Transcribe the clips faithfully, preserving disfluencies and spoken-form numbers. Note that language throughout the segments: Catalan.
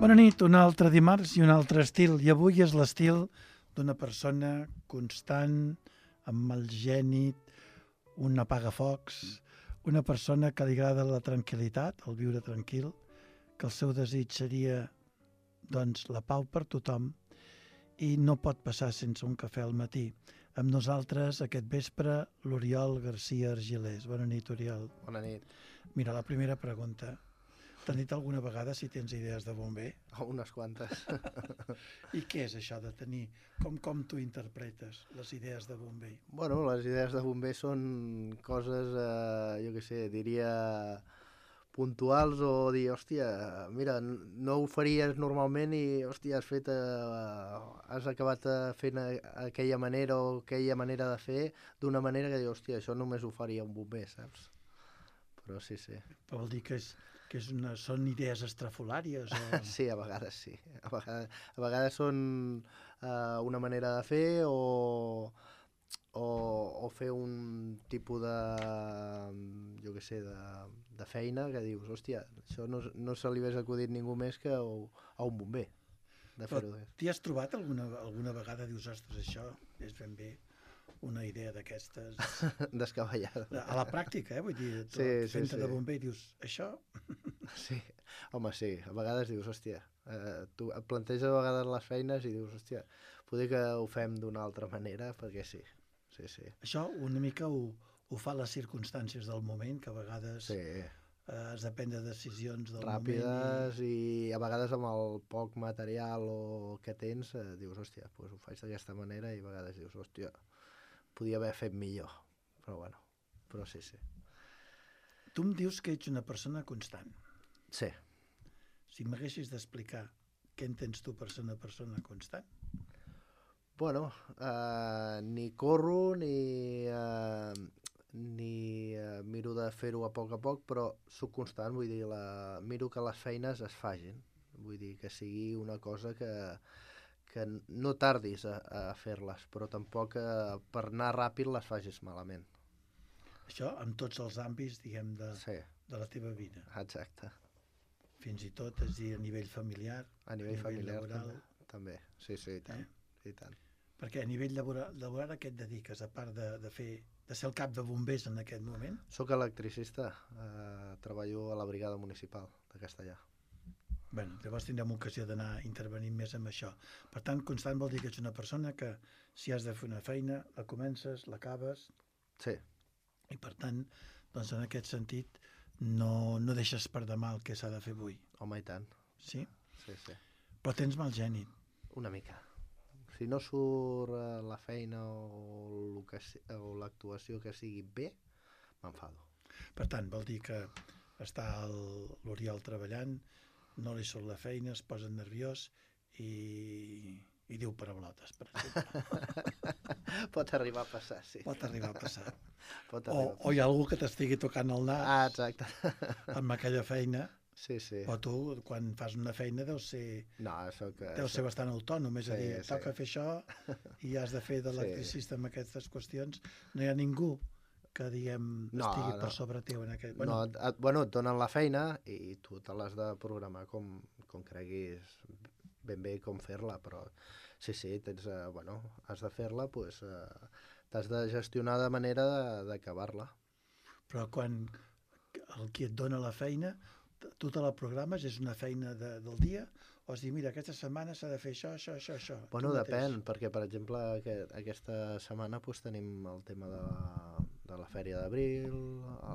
Bona nit, un altre dimarts i un altre estil. I avui és l'estil d'una persona constant, amb mal gènit, un apagafocs, una persona que li agrada la tranquil·litat, el viure tranquil, que el seu desig seria, doncs, la pau per tothom i no pot passar sense un cafè al matí. Amb nosaltres, aquest vespre, l'Oriol García Argilés. Bona nit, Oriol. Bona nit. Mira, la primera pregunta. T'han dit alguna vegada si tens idees de bomber? Oh, unes quantes. I què és això de tenir? Com, com tu interpretes les idees de bomber? Bueno, les idees de bomber són coses, eh, jo què sé, diria puntuals o dir, hòstia, mira, no ho faries normalment i, hòstia, has fet, eh, has acabat fent aquella manera o aquella manera de fer d'una manera que dius, hòstia, això només ho faria un bomber, saps? Però sí, sí. Però vol dir que, és, que és una, són idees estrafolàries? O... Sí, a vegades sí. A vegades, a vegades són uh, una manera de fer o, o, o fer un tipus de, jo què sé, de, de feina que dius, hòstia, això no, no se li hagués acudit ningú més que a, a un bomber. De Però fer-ho. t'hi has trobat alguna, alguna vegada, dius, ostres, això és ben bé una idea d'aquestes... Descabellada. A la pràctica, eh? Vull dir, tu Sí, sí, fent-te sí. de bomber i dius, això... Sí, home, sí, a vegades dius, hòstia, eh, tu et planteges a vegades les feines i dius, hòstia, poder que ho fem d'una altra manera, perquè sí, sí, sí. Això una mica ho, ho fa les circumstàncies del moment, que a vegades Sí, eh, has de prendre decisions del ràpides moment. i... i a vegades amb el poc material o que tens, eh, dius, hòstia, pues ho faig d'aquesta manera i a vegades dius, hòstia, podia haver fet millor, però bueno, però sí, sí. Tu em dius que ets una persona constant. Sí. Si m'haguessis d'explicar què entens tu per ser una persona constant? Bueno, eh, ni corro ni, eh, ni eh, miro de fer-ho a poc a poc, però soc constant, vull dir, la, miro que les feines es fagin, vull dir, que sigui una cosa que, que no tardis a, a fer-les, però tampoc eh, per anar ràpid les facis malament. Això en tots els àmbits, diguem, de, Sí, de la teva vida. exacte. Fins i tot, és a dir, a nivell familiar, A nivell, a nivell familiar laboral. també, també. Sí, sí, i tant. Eh? I tant. Perquè a nivell laboral, laboral a què et dediques, a part de, de fer de ser el cap de bombers en aquest moment? Soc electricista, eh, treballo a la brigada municipal de Castellà. Bé, llavors tindrem ocasió d'anar intervenint més amb això. Per tant, constant vol dir que ets una persona que si has de fer una feina, la comences, l'acabes, Sí, i per tant, doncs en aquest sentit, no, no deixes per demà el que s'ha de fer avui. home, i tant. Sí? Sí, sí. Però tens mal gènit. Una mica. Si no surt eh, la feina o, lo que, si- o l'actuació que sigui bé, m'enfado. Per tant, vol dir que està el- l'Oriol treballant, no li surt la feina, es posa nerviós i, i diu paraulotes, per exemple. Pot arribar a passar, sí. Pot arribar a passar. Pot O, arribar a o hi ha algú que t'estigui tocant el nas Ah, exacte. amb aquella feina, Sí, sí. o tu, quan fas una feina, deus ser, No, soc... deus ser bastant autònom, és a Sí, dir, sí. toca fer això i has de fer d'electricista amb aquestes qüestions. No hi ha ningú que, diguem, No, estigui no. per sobre teu en aquest... No, et, et- bueno, et donen la feina i tu te l'has de programar com, com creguis ben bé com fer-la, però sí, sí, tens, eh, bueno, has de fer-la, pues, eh, t'has de gestionar de manera de- d'acabar-la. Però quan el qui et dona la feina, tu te la programes, és una feina de, del dia, o es diu, mira, aquesta setmana s'ha de fer això, això, això, això. Bueno, tu mateix. depèn, perquè, per exemple, aquest, aquesta setmana pues, tenim el tema de la, de la Fèria d'Abril,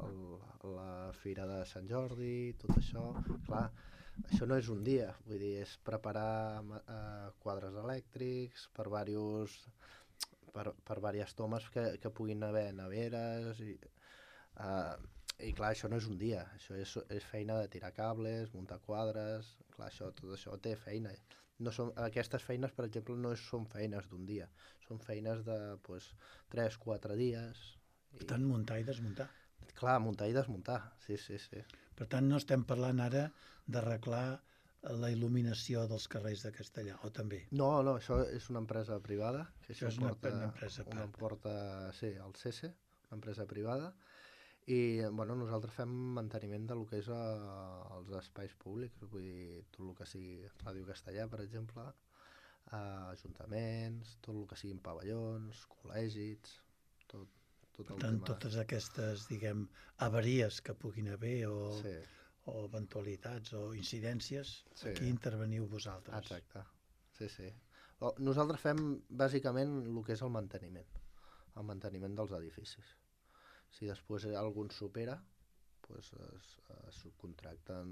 el- la Fira de Sant Jordi, tot això. Clar, això no és un dia, vull dir, és preparar ma- eh, quadres elèctrics per diversos per, per diverses tomes que, que puguin haver neveres i, eh, i clar, això no és un dia, això és, és feina de tirar cables, muntar quadres, clar, això, tot això té feina. No són, aquestes feines, per exemple, no és, són feines d'un dia, són feines de pues, tres quatre dies. Per tant, muntar i desmuntar. Clar, muntar i desmuntar, sí, sí, sí. Per tant, no estem parlant ara d'arreglar la il·luminació dels carrers de Castellà, o també? No, no, això és una empresa privada. Que Això és una- una empresa a una part. porta, sí, el C E S E, una empresa privada, I bueno, nosaltres fem manteniment de lo que és eh, els espais públics, vull dir, tot el que sigui Ràdio Castellà, per exemple, eh, ajuntaments, tot el que siguin pavellons, col·legis, tot, tot Per el tant, tema... totes aquestes, diguem, avaries que puguin haver o, Sí, o eventualitats o incidències, sí, aquí interveniu vosaltres. exacte. Sí, sí. O- Nosaltres fem bàsicament el que és el manteniment, el manteniment dels edificis. Si després algun supera, pues es, es subcontracten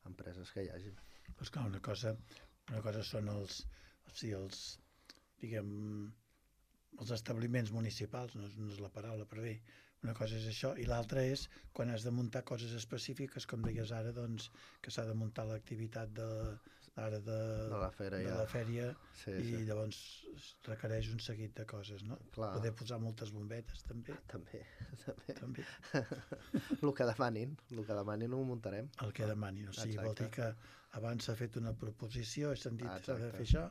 empreses que hi hagi. Però esclar, una cosa, una cosa són els, o sigui, els, diguem, els establiments municipals, no és, no és la paraula, però bé, una cosa és això, i l'altra és quan has de muntar coses específiques, com deies ara, doncs, que s'ha de muntar l'activitat de, ara de, De la fera de ja. la fèria, Sí, i sí. llavors es requereix un seguit de coses, no? Clar. Poder posar moltes bombetes, també. També, també. també. El que demanin, el que demanin ho muntarem. El que demanin, o sigui, Exacte. vol dir que abans s'ha fet una proposició, he sentit que s'ha de Exacte. fer això,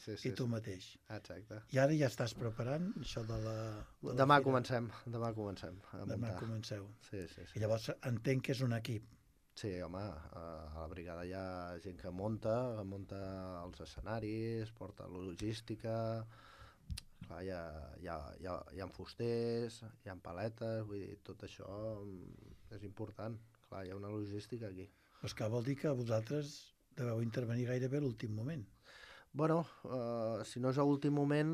Sí, i tu sí. mateix. Exacte. I ara ja estàs preparant això de la... De la Demà fira? comencem, demà comencem a Demà muntar. comenceu. Sí, sí, sí. I llavors entenc que és un equip. Sí, home, a la brigada hi ha gent que munta, que munta els escenaris, porta logística, clar, hi ha, hi ha, hi ha, hi ha fusters, hi ha paletes, vull dir, tot això mm, és important. Clar, hi ha una logística aquí. Doncs que vol dir que vosaltres deveu intervenir gairebé a l'últim moment. Bueno, uh, si no és a últim moment,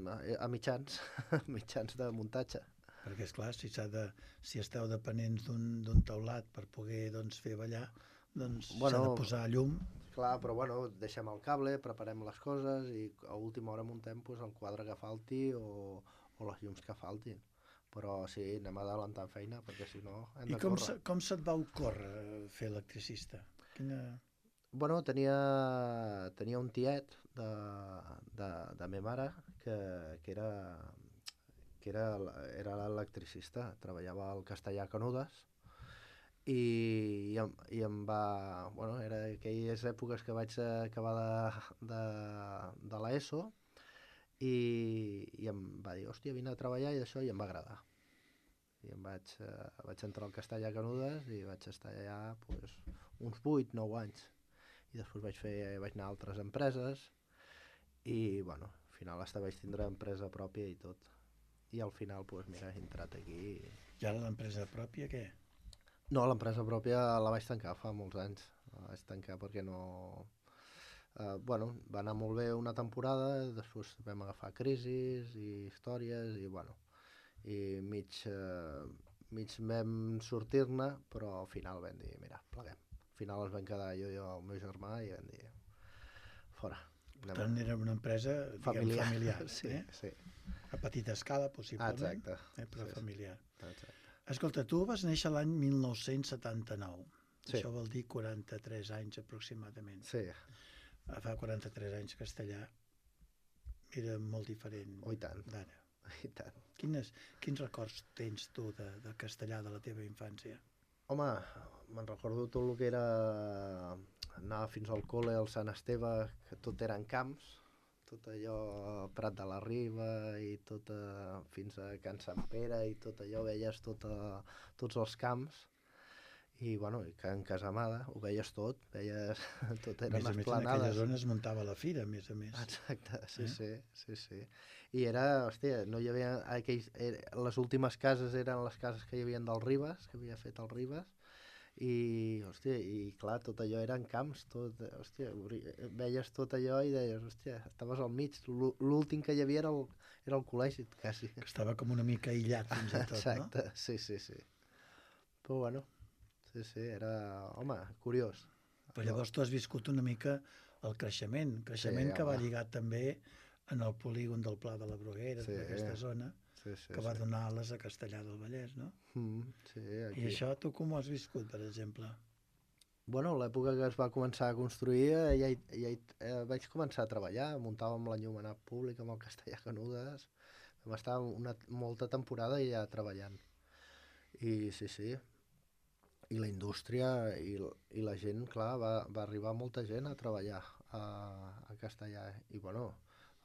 a, a mitjans, mitjans de muntatge. Perquè, és clar, si, s'ha de, si esteu dependents d'un d'un teulat per poder doncs, fer ballar, doncs Bueno, s'ha de posar llum. Clar, però bueno, deixem el cable, preparem les coses i a última hora muntem pues, el quadre que falti o, o les llums que faltin. Però sí, anem adelantant feina, perquè si no hem I de com, córrer. se, com se't va ocórrer fer electricista? Quina... Bueno, tenia, tenia un tiet de, de, de me mare que, que era que era, era l'electricista, treballava al Castellà Canudes i, i, em, i em va... Bueno, era aquelles èpoques que vaig acabar de, de, de l'ESO i, i em va dir, hòstia, vine a treballar i això, i em va agradar. I em vaig, eh, vaig entrar al Castellà Canudes i vaig estar allà pues, uns vuit nou anys. I després vaig, fer, vaig anar a altres empreses i, bueno, al final hasta vaig tindre empresa pròpia i tot. I al final, pues, mira, he entrat aquí. I, I ara l'empresa pròpia, què? No, l'empresa pròpia la vaig tancar fa molts anys. La vaig tancar perquè no... Uh, bueno, va anar molt bé una temporada, després vam agafar crisis i històries i, bueno, i mig, uh, mig vam sortir-ne, però al final vam dir, mira, pleguem. Al final ens vam quedar jo i el meu germà i vam dir, fora. Per tant, era una empresa diguem, familiar. familiar Sí, eh? sí. A petita escala, possiblement, Exacte. eh? però Sí, sí. familiar. Exacte. Escolta, tu vas néixer l'any mil nou-cents setanta-nou. Sí. Això vol dir quaranta-tres anys aproximadament. Sí, Fa quaranta-tres anys Castellà era molt diferent oh, i tant, d'ara. i tant. Quines, quins records tens tu de, de Castellà de la teva infància? Home, me'n recordo tot el que era anar fins al col·le, al Sant Esteve, que tot eren camps, tot allò, Prat de la Riba i tot a, fins a Can Sant Pere i tot allò, veies tot a, tots els camps. I, bueno, i Can Casamada, ho veies tot, veies tot A eren més a més, en esplanades. aquella zona es muntava la fira, a més a més. Exacte, sí, Eh? sí, sí, sí. I era, hòstia, no hi havia aquells, era, les últimes cases eren les cases que hi havia del Ribes, que havia fet el Ribes, i, hòstia, i clar, tot allò eren camps, tot, hòstia, veies tot allò i deies, hòstia, estaves al mig, l'ú- l'últim que hi havia era el, era el col·legi, quasi. Que estava com una mica aïllat fins i tot, Exacte, sí, sí, sí. Però bueno, sí, sí, era, home, curiós. no? Però llavors tu has viscut una mica el creixement, creixement Sí, que va home. lligat també en el polígon del Pla de la Bruguera, Sí. tota aquesta zona, Sí, sí, que va sí. donar ales a Castellà del Vallès, no? Mm, sí, aquí. I això tu com ho has viscut, per exemple? Bueno, l'època que es va començar a construir, eh, ja, hi, ja hi, eh, vaig començar a treballar, muntàvem l'enllumenat públic amb el Castellà Canudes, vam estar una, molta temporada ja treballant. I sí, sí, i la indústria i, l- i la gent, clar, va, va arribar molta gent a treballar a, a Castellà. I bueno,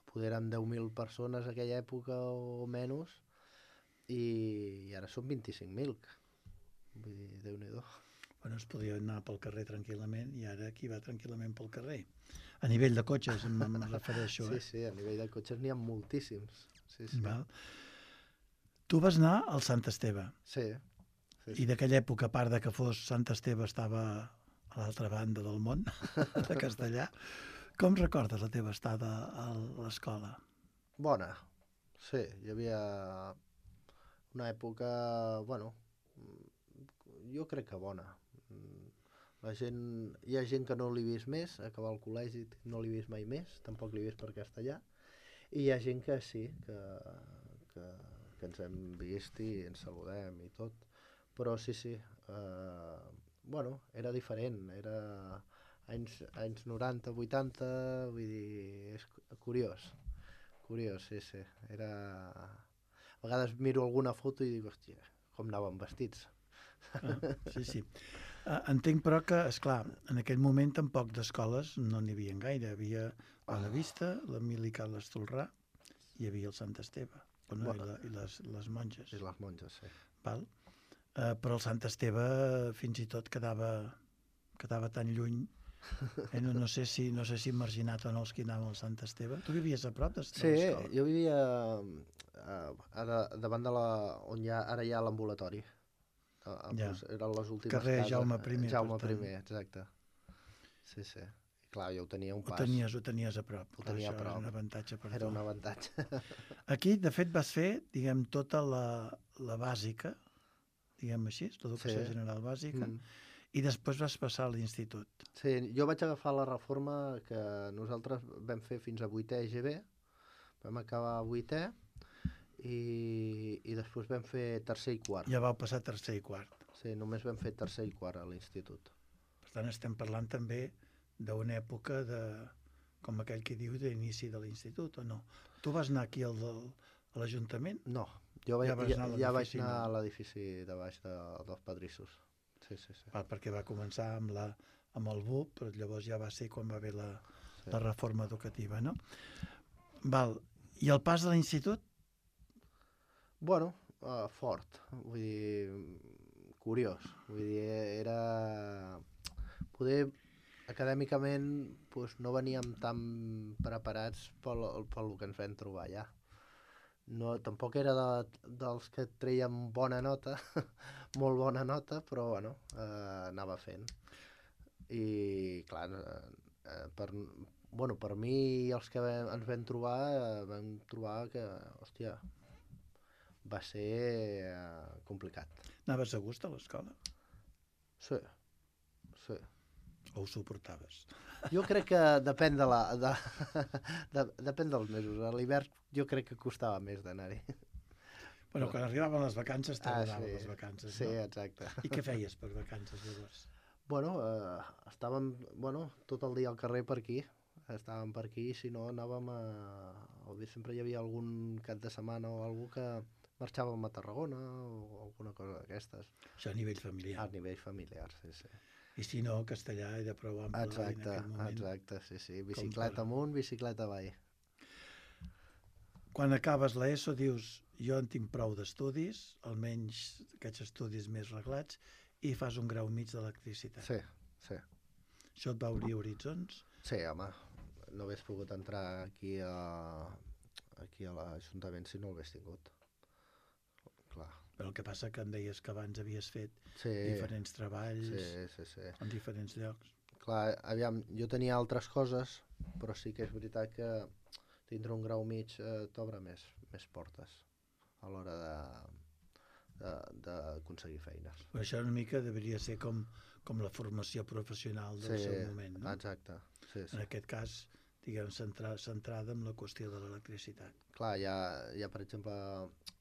poder eren deu mil persones en aquella època o menys, i, i ara són vint-i-cinc mil. Vull dir, Déu-n'hi-do. Bueno, es podia anar pel carrer tranquil·lament i ara qui va tranquil·lament pel carrer? A nivell de cotxes em, em refereixo, Sí, eh? sí, a nivell de cotxes n'hi ha moltíssims. Sí, sí. Val? Tu vas anar al Sant Esteve Sí, sí, i sí. d'aquella època, a part de que fos Sant Esteve, estava a l'altra banda del món, de Castellà. Com recordes la teva estada a l'escola? Bona, sí, hi havia una època, bueno, jo crec que bona. La gent, hi ha gent que no l'he vist més, acabar el col·legi no l'he vist mai més, tampoc l'he vist per castellà, i hi ha gent que sí, que, que, que ens hem vist i ens saludem i tot, però sí, sí, eh, bueno, era diferent, era anys, anys noranta, vuitanta, vull dir, és curiós, curiós, sí, sí, era... A vegades miro alguna foto i dic, hòstia, com anàvem vestits. Ah, sí, sí. Uh, entenc, però, que, esclar, en aquell moment tampoc d'escoles no n'hi havia gaire. Hi havia Bonavista, l'Emili Carles Tolrà, hi havia el Sant Esteve, bueno, i, la, i les, les monges. I les monges, sí. Val? Uh, però el Sant Esteve fins i tot quedava, quedava tan lluny. Eh? No, no, sé si, no sé si marginat o no els que anaven al Sant Esteve. Tu vivies a prop de, de sí, l'escola? Jo vivia uh, ara, davant de la... on hi ha, ara hi ha l'ambulatori. Uh, Ja. pues, eren les últimes Carrer cases. Jaume primer, Jaume per tant. primer, exacte. Sí, sí. I clar, jo ho tenia un Ho pas. tenies, ho tenies a prop. Ho Clar, tenia a això prop. era un avantatge per Era tu. un avantatge. Aquí, de fet, vas fer, diguem, tota la, la bàsica, diguem així, l'educació Sí. general bàsica, Mm. i després vas passar a l'institut. Sí, jo vaig agafar la reforma que nosaltres vam fer fins a vuitè G B, vam acabar a vuitè i, i després vam fer tercer i quart. Ja vau passar tercer i quart. Sí, només vam fer tercer i quart a l'institut. Per tant, estem parlant també d'una època de, com aquell que diu, d'inici de l'institut, o no? Tu vas anar aquí al, del, a l'Ajuntament? No, jo vaig, Ja vas ja, anar a ja vaig l'edifici anar a nou. l'edifici de baix de, dels Pedrissos. Sí, sí, sí. Val, perquè va començar amb, la, amb el B U P, però llavors ja va ser quan va haver la, Sí. la reforma educativa, no? Val. I el pas de l'institut? Bueno, uh, fort, vull dir, curiós, vull dir, era... Poder, acadèmicament, pues, no veníem tan preparats pel, pel que ens vam trobar allà. No, tampoc era de, dels que treien bona nota, molt bona nota, però bueno, eh, anava fent. I clar, eh, per, bueno, per mi i els que vam, ens vam trobar, eh, vam trobar que, hòstia, va ser eh, complicat. Anaves a gust a l'escola? Sí, sí. O ho suportaves? Jo crec que depèn de la... De, de, depèn dels mesos. A l'hivern jo crec que costava més d'anar-hi. Bueno, quan arribaven les vacances, t'agradaven Ah, sí. les vacances, Sí, no? exacte. I què feies per vacances, llavors? Bueno, eh, estàvem bueno, tot el dia al carrer per aquí. Estàvem per aquí, si no anàvem a... Sempre hi havia algun cap de setmana o algú que marxàvem a Tarragona o alguna cosa d'aquestes. Això a nivell familiar. A nivell familiar, sí, sí. I si no, castellà era prou ample en Exacte, aquell moment. exacte, sí, sí. Bicicleta per- amunt, bicicleta avall. Quan acabes l'ESO dius, jo en tinc prou d'estudis, almenys aquests estudis més reglats, i fas un grau mig d'electricitat. Sí, sí. Això et va obrir horitzons? Sí, home, no hagués pogut entrar aquí a, aquí a l'Ajuntament si no l'hagués tingut. Clar. Però el que passa que em deies que abans havies fet Sí, diferents treballs sí, sí, sí. en diferents llocs. Clar, aviam, jo tenia altres coses, però sí que és veritat que tindre un grau mig eh, t'obre més, més portes a l'hora de, d'aconseguir feines. Però això una mica deveria ser com, com la formació professional del Sí, seu moment, no? exacte. Sí, sí. En aquest cas, diguem, centra, centrada en la qüestió de l'electricitat. Clar, hi ha, hi ha, per exemple,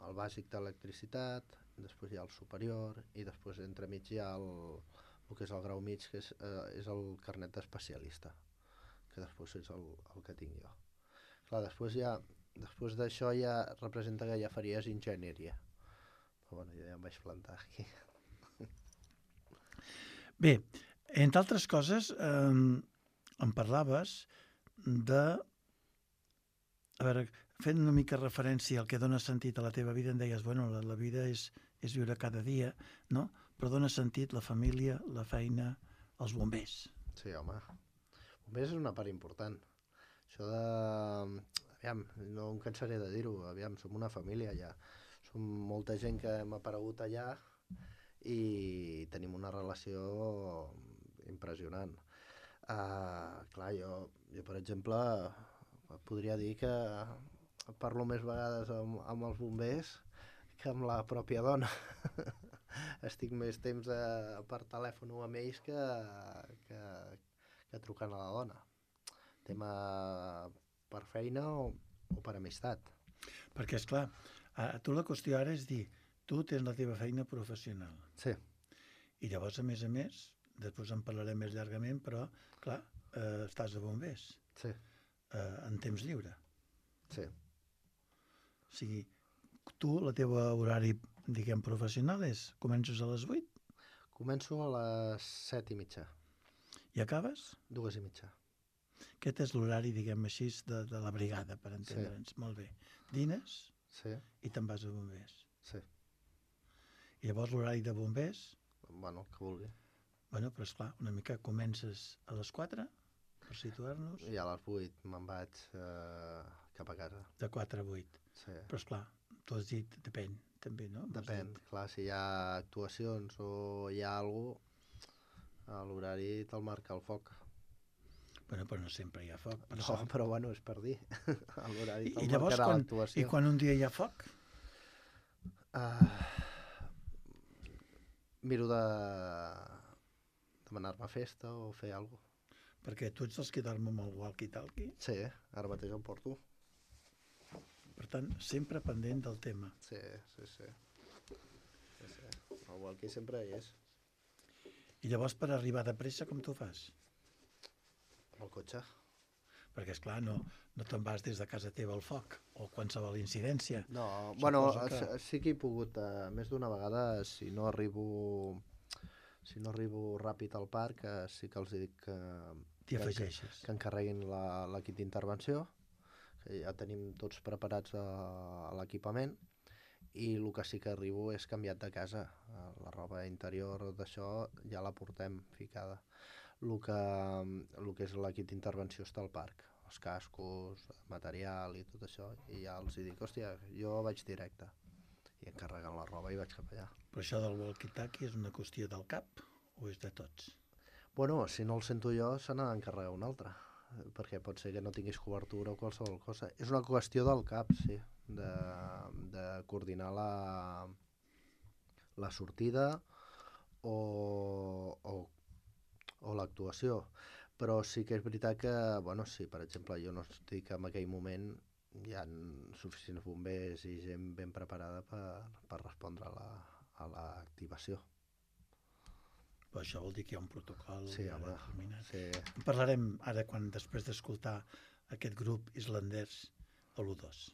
el bàsic d'electricitat, després hi ha el superior, i després entremig hi ha el, el que és el grau mig, que és, eh, és el carnet d'especialista, que després és el, el que tinc jo. Clar, després ja, després d'això ja representa que ja faries enginyeria. Però bueno, jo ja em vaig plantar aquí. Bé, entre altres coses, eh, em parlaves de... A veure, fent una mica referència al que dona sentit a la teva vida, em deies, bueno, la, la vida és, és viure cada dia, no? però dona sentit la família, la feina, els bombers. Sí, home. Bombers és una part important. Això de... Aviam, no em cansaré de dir-ho, aviam, som una família allà. Som molta gent que hem aparegut allà i tenim una relació impressionant. Uh, clar, jo, jo, per exemple, podria dir que parlo més vegades amb, amb els bombers que amb la pròpia dona. Estic més temps a, per telèfon amb ells que, que, que trucant a la dona. Tema per feina o, o per amistat. Perquè, esclar, a, tu la qüestió ara és dir, tu tens la teva feina professional. Sí. I llavors, a més a més, després en parlarem més llargament, però, clar, eh, estàs a bombers. Sí. Eh, en temps lliure. Sí. O sigui, tu, la teva horari, diguem, professional és, comences a les vuit? Començo a les set i mitja. I acabes? Dues i mitja. Aquest és l'horari, diguem així, de, de la brigada, per entendre'ns. Sí. Molt bé. Dines sí. i te'n vas a bombers. Sí. I llavors l'horari de bombers? Bueno, que vulgui. Bueno, però esclar, una mica comences a les quatre, per situar-nos. I a les vuit me'n vaig eh, cap a casa. De quatre a vuit. Sí. Però esclar, tu has dit, depèn, també, no? Depèn, clar, si hi ha actuacions o hi ha alguna cosa, l'horari te'l marca el foc. Bueno, però no sempre hi ha foc. Per no, sort. Però bueno, és per dir. L'horari te'l I llavors, marcarà quan, l'actuació. i quan un dia hi ha foc? Uh, miro de demanar-me festa o fer alguna cosa. Perquè tu ets dels que dorm amb el walkie-talkie? Sí, ara mateix el porto. Per tant, sempre pendent del tema. Sí, sí, sí. sí, sí. El walkie sempre hi és. I llavors, per arribar de pressa, com t'ho fas? Amb el cotxe. Perquè, esclar, no, no te'n vas des de casa teva al foc o qualsevol incidència. No, Suposo bueno, que... sí que he pogut, uh, més d'una vegada, si no arribo si no arribo ràpid al parc, uh, sí que els dic que, T'hi que, afegeixes. que encarreguin l'equip d'intervenció, que ja tenim tots preparats a, a l'equipament, i el que sí que arribo és canviat de casa. Uh, la roba interior d'això ja la portem ficada. El que, el que és l'equip d'intervenció està al parc, els cascos, material i tot això, i ja els dic, hòstia, jo vaig directe, i encarregant la roba i vaig cap allà. Però això del walkie-talkie és una qüestió del cap o és de tots? Bueno, si no el sento jo, se n'ha d'encarregar un altre, perquè pot ser que no tinguis cobertura o qualsevol cosa. És una qüestió del cap, sí, de, de coordinar la, la sortida o, o o l'actuació, però sí que és veritat que, bueno, si per exemple jo no estic en aquell moment, hi ha suficients bombers i gent ben preparada per, per respondre a la, a l'activació. Però això vol dir que hi ha un protocol sí, home, determinat. Sí. En parlarem ara quan després d'escoltar aquest grup islandès a l'U dos.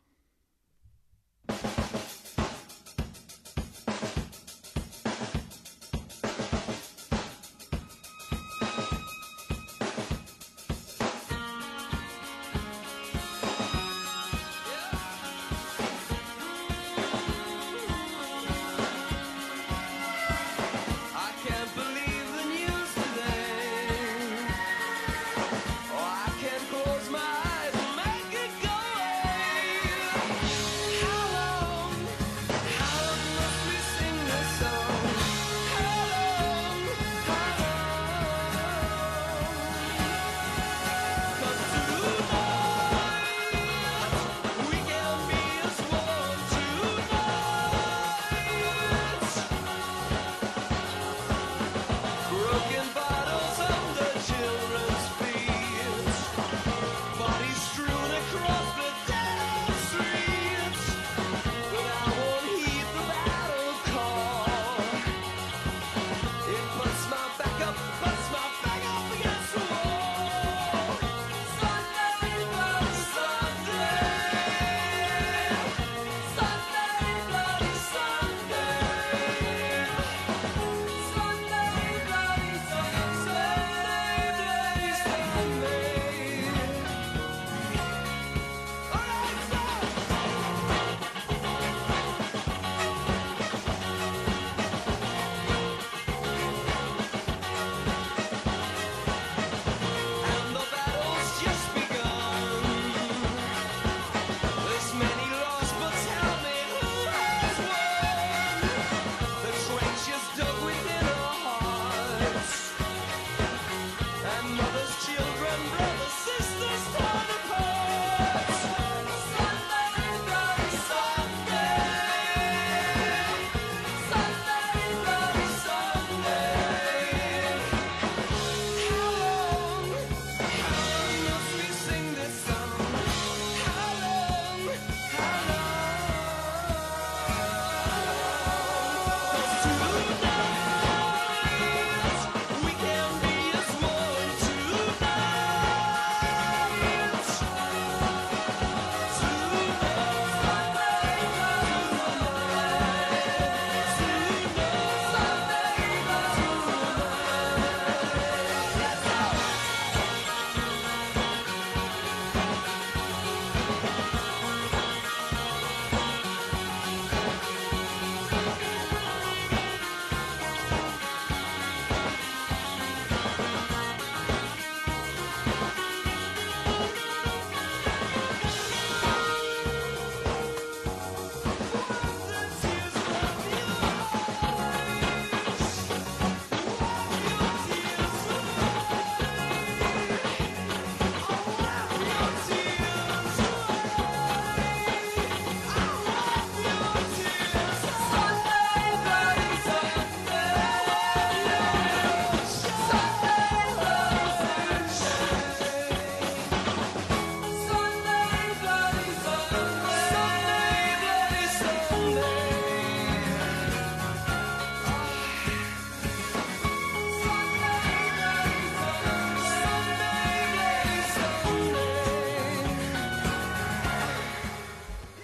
Oh, I can close my eyes and make it go away.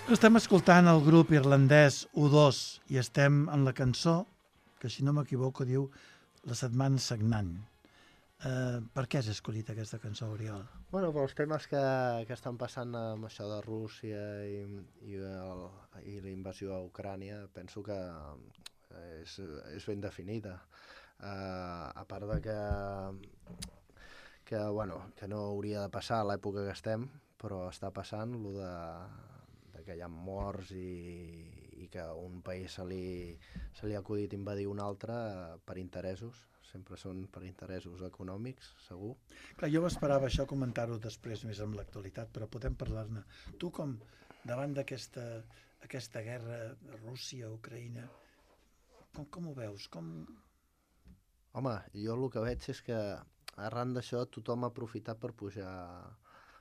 Estem escoltant el grup irlandès U dos i estem en la cançó, que si no m'equivoco diu La setmana sagnant. Eh, per què has escollit aquesta cançó, Oriol? Bueno, pels temes que, que estan passant amb això de Rússia i, i, el, i la invasió a Ucrània, penso que és, és ben definida. Uh, a part de que, que, bueno, que no hauria de passar a l'època que estem, però està passant lo de, de que hi ha morts i, i que un país se li, se li ha acudit invadir un altre per interessos. Sempre són per interessos econòmics, segur. Clar, jo m'esperava això comentar-ho després més amb l'actualitat, però podem parlar-ne. Tu com, davant d'aquesta aquesta guerra Rússia-Ucraïna, com, com ho veus? Com... Home, jo el que veig és que arran d'això tothom ha aprofitat per pujar,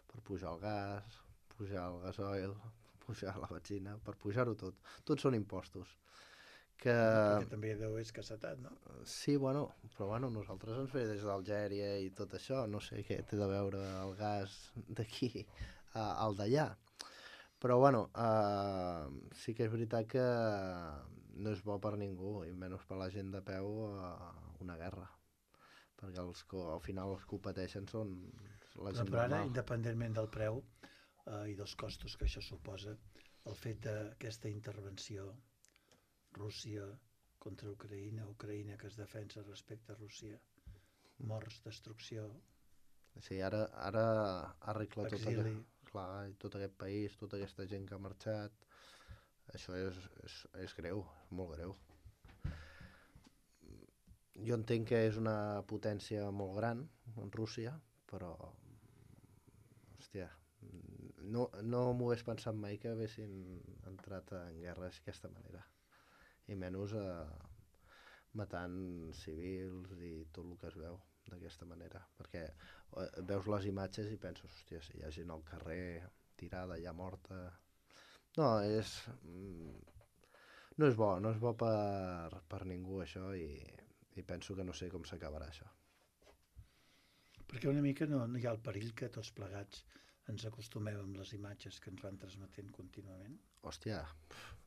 per pujar el gas, pujar el gasoil, pujar la benzina, per pujar-ho tot. Tots són impostos. Que... Perquè també deu escassetat, no? Sí, bueno, però bueno, nosaltres ens ve des d'Algèria i tot això, no sé què té de veure el gas d'aquí al d'allà. Però bueno, eh, sí que és veritat que no és bo per ningú, i menys per la gent de peu, eh, una guerra. Perquè els, al final els que ho pateixen són la gent però ara, normal. independentment del preu eh, i dels costos que això suposa, el fet d'aquesta intervenció Rússia contra Ucraïna, Ucraïna que es defensa respecte a Rússia, morts, destrucció... Sí, ara, ara arregla tot exili. aquest, clar, tot aquest país, tota aquesta gent que ha marxat, això és, és, és greu, és molt greu. Jo entenc que és una potència molt gran, en Rússia, però, hòstia, no, no m'ho hagués pensat mai que haguessin entrat en guerra d'aquesta manera. I menys eh, matant civils i tot el que es veu d'aquesta manera, perquè eh, veus les imatges i penses, hòstia, si hi ha gent al carrer tirada, ja morta... No, és... no és bo, no és bo per, per ningú això, i, i penso que no sé com s'acabarà això. Perquè una mica no, no hi ha el perill que tots plegats ens acostumem amb les imatges que ens van transmetent contínuament? Hòstia,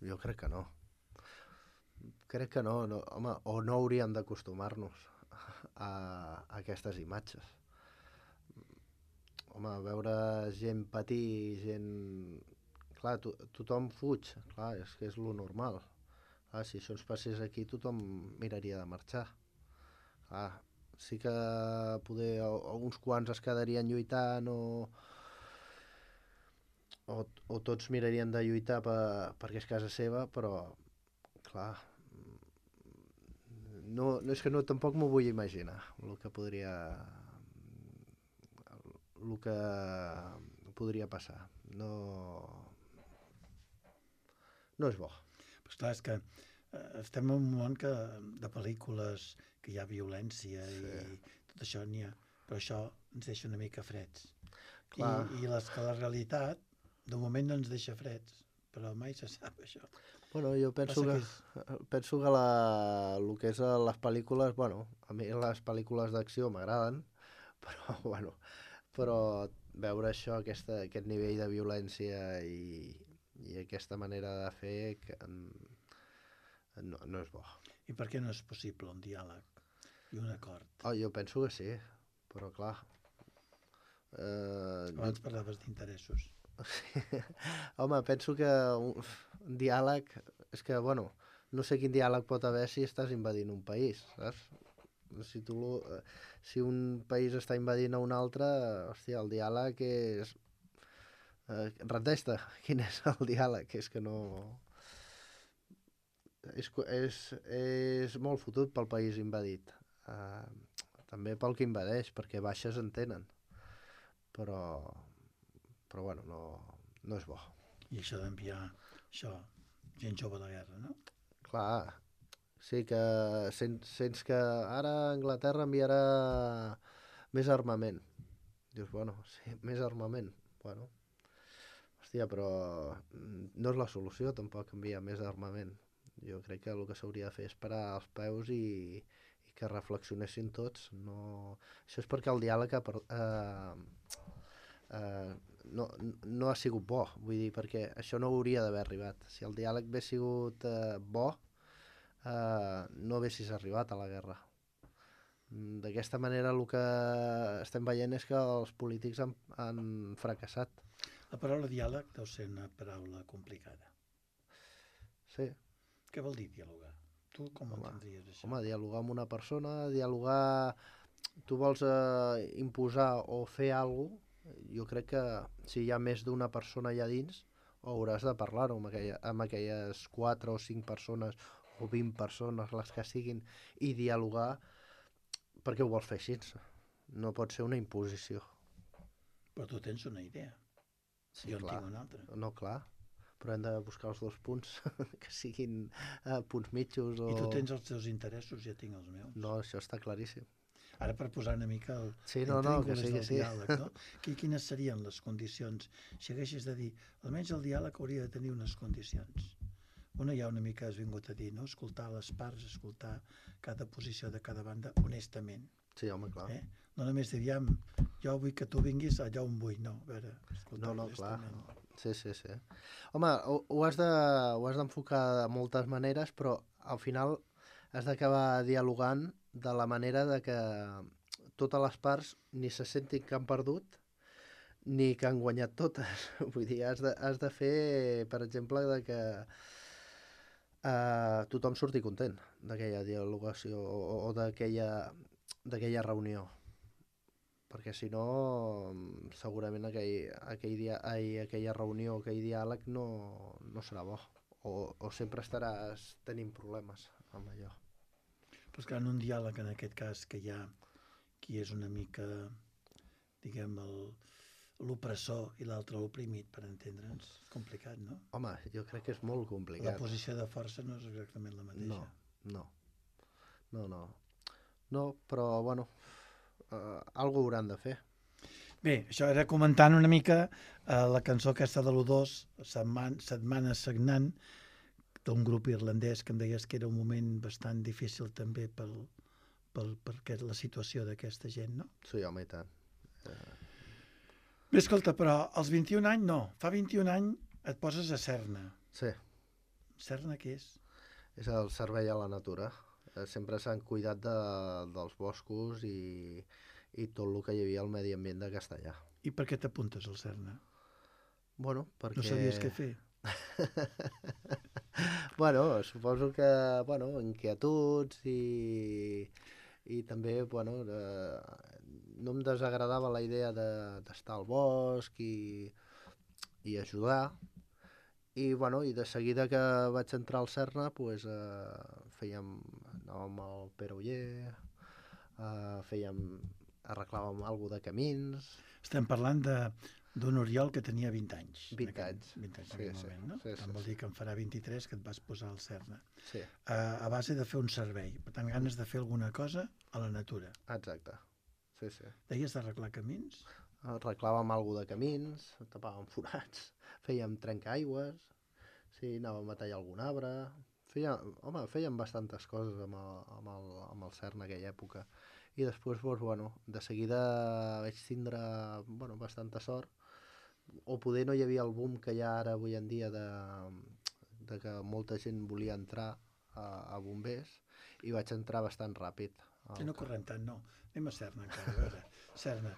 jo crec que no. Crec que no, no, home, o no hauríem d'acostumar-nos a, a aquestes imatges. Home, veure gent patir, gent... Clar, to, tothom fuig, clar, és que és lo normal. Clar, si això ens passés aquí, tothom miraria de marxar. Clar, sí que poder, uns quants es quedarien lluitant o, o, o tots mirarien de lluitar per, perquè és casa seva, però, clar, no, no és que no, tampoc m'ho vull imaginar el que podria el que podria passar. No, no és bo. Però esclar, és que eh, estem en un món que, de pel·lícules que hi ha violència sí. I tot això n'hi ha, però això ens deixa una mica freds. Clar. I, i les, que la realitat de moment no ens deixa freds, però mai se sap això. Bueno, jo penso que, que és... penso que la, el que és les pel·lícules, bueno, a mi les pel·lícules d'acció m'agraden, però, bueno, però veure això, aquesta, aquest nivell de violència i, i aquesta manera de fer que no, no és bo. I per què no és possible un diàleg i un acord? Oh, jo penso que sí, però clar... Eh, Abans jo... parlaves d'interessos. Home, penso que un, un diàleg... És que, bueno, no sé quin diàleg pot haver si estàs invadint un país, saps? Si, tu, si un país està invadint a un altre, hòstia, el diàleg és... Eh, Rendeix-te, quin és el diàleg? És que no... És, és, és molt fotut pel país invadit. Uh, també pel que invadeix, perquè baixes en tenen. Però... però bueno, no, no és bo. I això d'enviar això, gent jove a la guerra, no? Clar, sí que sents, sents que ara Anglaterra enviarà més armament. Dius, bueno, sí, més armament. Bueno, hòstia, però no és la solució tampoc enviar més armament. Jo crec que el que s'hauria de fer és parar els peus i, i que reflexionessin tots. No... Això és perquè el diàleg ha, eh, eh, no, no ha sigut bo, vull dir, perquè això no hauria d'haver arribat. Si el diàleg hagués sigut eh, bo, eh, no haguessis arribat a la guerra. D'aquesta manera el que estem veient és que els polítics han, han fracassat. La paraula diàleg deu ser una paraula complicada. Sí. Què vol dir dialogar? Tu com Home, entendries això? Home, dialogar amb una persona, dialogar... Tu vols eh, imposar o fer alguna cosa, jo crec que si hi ha més d'una persona allà dins, hauràs de parlar-ho amb, aquella, amb aquelles quatre o cinc persones o vint persones, les que siguin, i dialogar perquè ho vols fer així. No pot ser una imposició. Però tu tens una idea. Sí, jo en clar. tinc una altra. No, clar. Però hem de buscar els dos punts que siguin eh, punts mitjos. O... I tu tens els teus interessos, ja tinc els meus. No, això està claríssim. Ara per posar una mica el sí, no, no, que sí, del que sí. diàleg, no? Quines serien les condicions? Si haguessis de dir, almenys el diàleg hauria de tenir unes condicions. Una ja una mica has vingut a dir, no? Escoltar les parts, escoltar cada posició de cada banda honestament. Sí, home, clar. Eh? No només dir, jo vull que tu vinguis allà on vull, no. A veure, escoltar no, no, honestament. Clar. Sí, sí, sí. Home, ho, ho has de, ho has d'enfocar de moltes maneres, però al final has d'acabar dialogant de la manera de que totes les parts ni se sentin que han perdut ni que han guanyat totes. Vull dir, has de, has de fer, per exemple, de que eh, tothom surti content d'aquella dialogació o, o d'aquella d'aquella reunió. Perquè si no, segurament aquell, aquell dia, ai, aquella reunió, aquell diàleg no, no serà bo. O, o sempre estaràs tenint problemes amb allò. Però és que en un diàleg, en aquest cas, que hi ha qui és una mica, diguem, l'opressor i l'altre l'oprimit, per entendre'ns, és complicat, no? Home, jo crec que és molt complicat. La posició de força no és exactament la mateixa. No, no. No, no. No, però, bueno, uh, algo hauran de fer. Bé, això era comentant una mica uh, la cançó aquesta de l'U dos, Setman, Setmana Sagnant, d'un grup irlandès que em deies que era un moment bastant difícil també pel, pel, per la situació d'aquesta gent, no? Sí, home, i tant. Uh... Bé, escolta, però als vint-i-un anys no. Fa vint-i-un anys et poses a Serna. Sí. Serna què és? És el servei a la natura. Sempre s'han cuidat de, dels boscos i, i tot el que hi havia al medi ambient de Castellà. I per què t'apuntes al Serna? Bueno, perquè... No sabies què fer? Bueno, suposo que, bueno, inquietuds i, i també, bueno, eh, no em desagradava la idea d'estar de, al bosc i, i ajudar. I, bueno, i de seguida que vaig entrar al Serna, pues, eh, fèiem, anàvem al Pere Oller, eh, fèiem, arreglàvem alguna de camins. Estem parlant de d'un Oriol que tenia vint anys. vint anys. vint anys en sí, aquell sí, moment, no? Sí, sí, Tant vol sí. dir que en farà vint-i-tres que et vas posar al Serna. Sí. Uh, a base de fer un servei. Per tant, ganes de fer alguna cosa a la natura. Exacte. Sí, sí. Deies d'arreglar camins? Arreglàvem alguna de camins, tapàvem forats, fèiem trencaaigües, sí, anàvem a tallar algun arbre. Fèiem, home, fèiem bastantes coses amb el, amb el, amb el Serna en aquella època. I després, doncs, bueno, de seguida vaig tindre, bueno, bastanta sort. O poder no hi havia el boom que hi ha ara avui en dia de, de que molta gent volia entrar a, a bombers i vaig entrar bastant ràpid. Sí, no correm tant, no. Anem a Serna encara, a veure. Serna.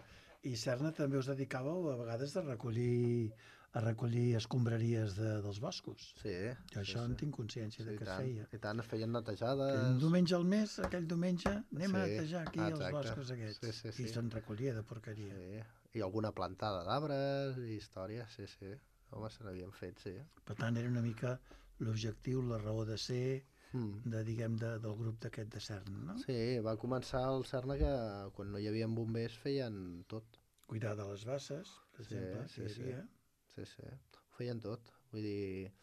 I Serna també us dedicàveu a vegades a recollir a recollir escombraries de, dels boscos. Sí. Jo això sí, en sí. tinc consciència sí, de que tant, es feia. I tant, es feien netejades. Un diumenge al mes, aquell diumenge, anem sí, a netejar aquí exacte. els boscos aquests. Sí, sí, sí. I se'n recollia de porqueria. Sí. I alguna plantada d'arbres i històries, sí, sí. Home, se n'havien fet, sí. Per tant, era una mica l'objectiu, la raó de ser mm. de, diguem, de, del grup d'aquest de Serna, no? Sí, va començar el Serna que quan no hi havia bombers feien tot. Cuidar de les basses, per sí, exemple, sí, que hi havia. Sí, sí, sí. Ho feien tot. Vull dir,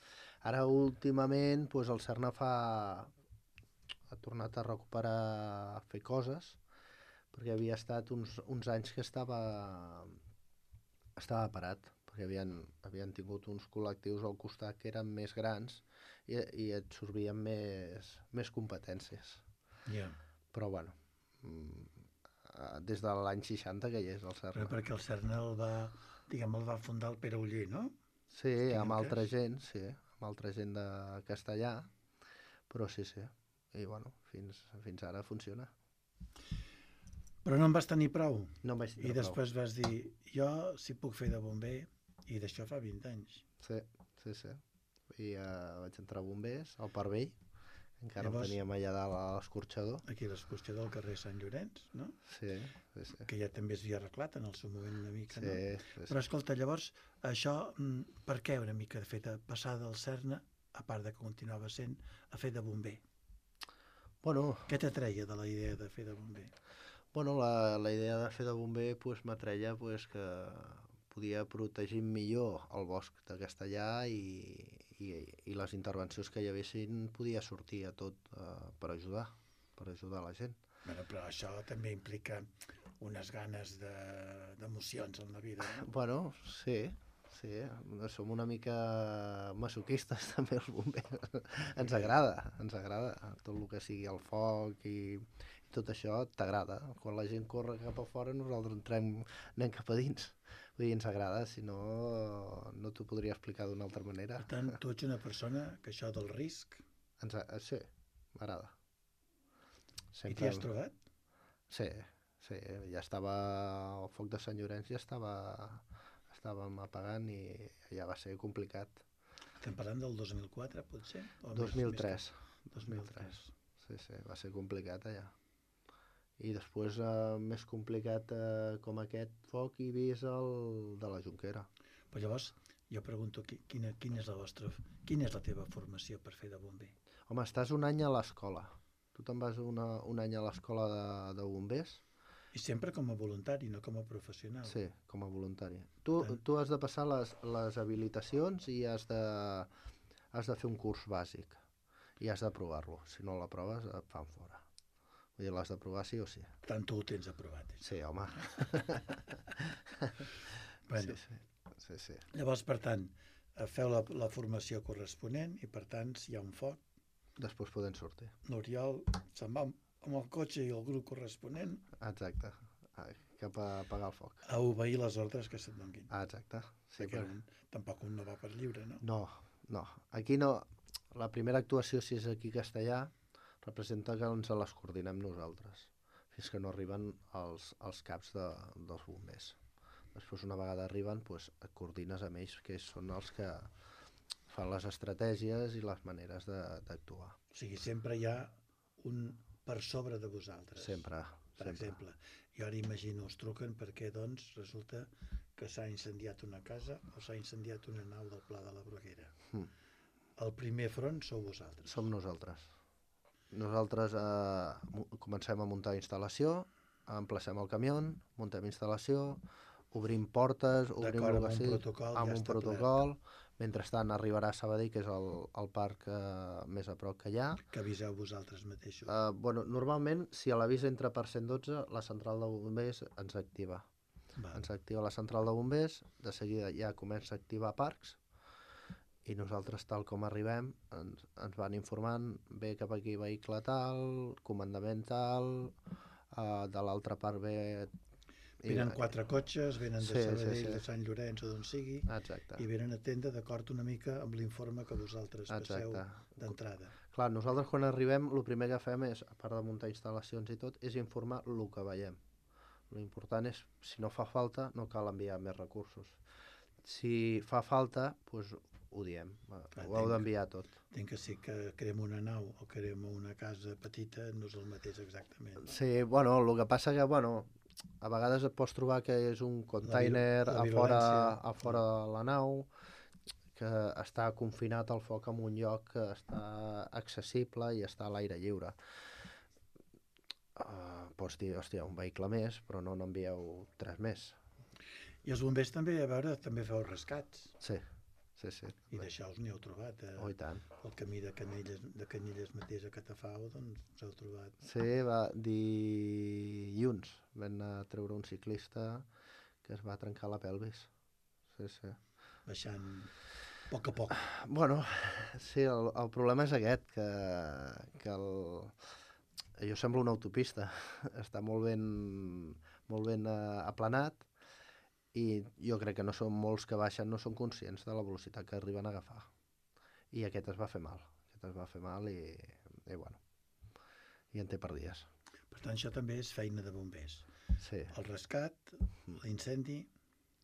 ara últimament pues, el Serna fa... ha tornat a recuperar, a fer coses, perquè havia estat uns, uns anys que estava, estava parat, perquè havien, havien tingut uns col·lectius al costat que eren més grans i, i absorbien més, més competències. Yeah. Però, bueno, des de l'any seixanta que hi és el Serna. Però perquè el Serna el va, diguem, el va fundar el Pere Oller, no? Sí, Tinc amb altra entès. gent, sí, amb altra gent de castellà, però sí, sí. I bueno, fins, fins ara funciona. Però no en vas tenir prou. No em vaig I tindre prou. després vas dir, jo si puc fer de bomber, i d'això fa vint anys. Sí, sí, sí. I uh, vaig entrar a bombers, al Parc Vell, encara Llavors, el teníem allà dalt a l'escorxador. aquí a l'excursió del carrer Sant Llorenç, no? Sí, sí, sí. Que ja també es havia arreglat en el seu moment una mica, Sí, no? sí, sí. Però escolta, llavors, això, mm, per què una mica de fet a passar del Serna, a part de que continuava sent, a fer de bomber? Bueno, Què t'atreia de la idea de fer de bomber? bueno la, la idea de fer de bomber pues, m'atreia pues, que podia protegir millor el bosc de Castellà i, i, i les intervencions que hi haguessin podia sortir a tot uh, per ajudar, per ajudar la gent. Bueno, però això també implica unes ganes de- d'emocions en la vida, no? Bueno, sí, sí, som una mica masoquistes també els bombers. Ens agrada, ens agrada tot el que sigui el foc i, i tot això t'agrada. Quan la gent corre cap a fora nosaltres entrem, anem cap a dins. Vull dir, ens agrada, si no, no t'ho podria explicar d'una altra manera. Per tant, tu ets una persona que això del risc, Ens, a- sí, m'agrada. i t'hi has trobat? Sí, sí, ja estava, el foc de Sant Llorenç ja estava, estàvem apagant i ja va ser complicat. Estem parlant del dos mil quatre, potser? O dos mil tres. Més, més dos mil tres. Sí, sí, va ser complicat allà. I després, eh, més complicat eh, com aquest foc, he vist el de la Jonquera. Però llavors, jo pregunto, qui- quina, quina, és la vostra, quina és la teva formació per fer de bomber? Home, estàs un any a l'escola. Tu te'n vas una, un any a l'escola de, de bombers? I sempre com a voluntari, no com a professional. Sí, com a voluntari. Tu, Tant. tu has de passar les, les habilitacions i has de, has de fer un curs bàsic. I has d'aprovar-lo. Si no l'aproves, et fan fora. Vull dir, l'has d'aprovar sí o sí. Per tant, tu ho tens aprovat. Això. Sí, home. Bueno, Sí, sí. sí, sí. llavors, per tant, eh, feu la, la formació corresponent i, per tant, si hi ha un foc, Després poden sortir. l'Oriol se'n va amb el cotxe i el grup corresponent Exacte. Ai, cap a apagar el foc. a obeir les ordres que se't donguin. Ah, exacte. Sí, Perquè però... un, tampoc un no va per lliure, no? No, no. Aquí no. La primera actuació, si és aquí a Castellà, representa que ens les coordinem nosaltres, fins que no arriben els, els caps de, dels bombers. Després, una vegada arriben, doncs, et coordines amb ells, que són els que fan les estratègies i les maneres de- d'actuar. O sigui, sempre hi ha un per sobre de vosaltres. Sempre, Per sempre. exemple, jo ara imagino, us truquen perquè, doncs, resulta que s'ha incendiat una casa o s'ha incendiat una nau del Pla de la Bruguera. Mm. El primer front sou vosaltres. Som nosaltres. Nosaltres eh, mu- comencem a muntar instal·lació, emplacem el camió, muntem instal·lació, obrim portes, obrim D'acord, el amb que un sigui, protocol amb ja un establert. protocol. Mentrestant arribarà a Sabadell, que és el, el parc eh, més a prop que hi ha. Que aviseu vosaltres mateixos. Eh, bueno, normalment, si a l'avís entra per cent dotze, la central de bombers ens activa. Va. Ens activa la central de bombers, de seguida ja comença a activar parcs, i nosaltres, tal com arribem, ens, ens van informant, ve cap aquí vehicle tal, comandament tal, uh, de l'altra part ve... i- Venen quatre cotxes, venen de Sí, sí, Sabadell, sí. de Sant Llorenç o d'on sigui, Exacte. i venen a atendre d'acord una mica amb l'informe que vosaltres passeu Exacte. d'entrada. Clar, nosaltres quan arribem, el primer que fem és, a part de muntar instal·lacions i tot, és informar el que veiem. L'important és, si no fa falta, no cal enviar més recursos. Si fa falta, doncs ho diem, ho heu entenc. d'enviar tot. Entenc que sí que crema una nau o crema una casa petita no és el mateix exactament. No? Sí, bueno, el que passa que, bueno, a vegades et pots trobar que és un container la a fora, virulència. a fora de la nau, que està confinat al foc en un lloc que està accessible i està a l'aire lliure. Uh, pots dir, hòstia, un vehicle més, però no n'envieu tres més. I els bombers també, a veure, també feu rescats. Sí, sí, sí. I d'això us n'hi heu trobat. Eh? Oh, i tant. El camí de Canyelles, de Canyelles mateix a Catafau, doncs us heu trobat. Sí, va, dilluns vam anar a treure un ciclista que es va trencar la pelvis. Sí, sí. Baixant a poc a poc. Bueno, sí, el, el problema és aquest, que, que el, jo semblo una autopista, està molt ben, molt ben uh, aplanat i jo crec que no són molts que baixen, no són conscients de la velocitat que arriben a agafar. I aquest es va fer mal, aquest es va fer mal i, i bueno, i en té per dies. Per tant, això també és feina de bombers. Sí. El rescat, l'incendi...